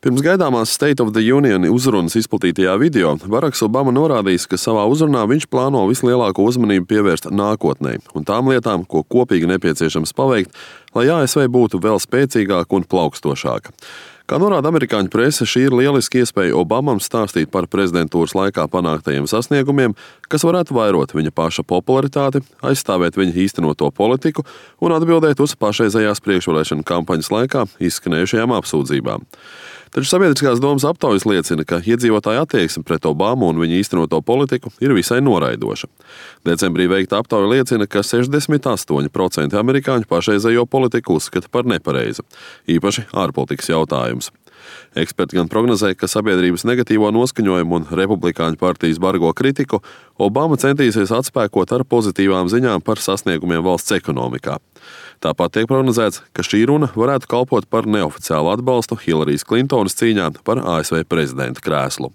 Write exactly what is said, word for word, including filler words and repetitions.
Pirms gaidāmās State of the Union uzrunas izplatītajā video Baraks Obama norādījis, ka savā uzrunā viņš plāno vislielāko uzmanību pievērst nākotnē un tām lietām, ko kopīgi nepieciešams paveikt, lai A S V būtu vēl spēcīgāka un plaukstošāka. Kā norāda amerikāņu prese, šī ir lieliski iespēja Obamam stāstīt par prezidentūras laikā panāktajiem sasniegumiem, kas varētu vairot viņa paša popularitāti, aizstāvēt viņa īstenoto politiku un atbildēt uz pašreizējās priekšvēlēšanu kampaņas laikā izskanējušajām apsūdzībām. Taču sabiedriskās domas aptaujas liecina, ka iedzīvotāju attieksme pret Obamu un viņa īstenoto politiku ir visai noraidoša. Decembrī veikta aptauja liecina, ka sešdesmit astoņi procenti amerikāņu pašreizējo politiku uzskata par nepareizu, īpaši ārpolitikas jautājums. Eksperti gan prognozē, ka sabiedrības negatīvo noskaņojumu un republikāņu partijas bargo kritiku Obama centīsies atspēkot ar pozitīvām ziņām par sasniegumiem valsts ekonomikā. Tāpat tiek prognozēts, ka šī runa varētu kalpot par neoficiālu atbalstu Hillarijas Klintonas cīņā par A S V prezidenta krēslu.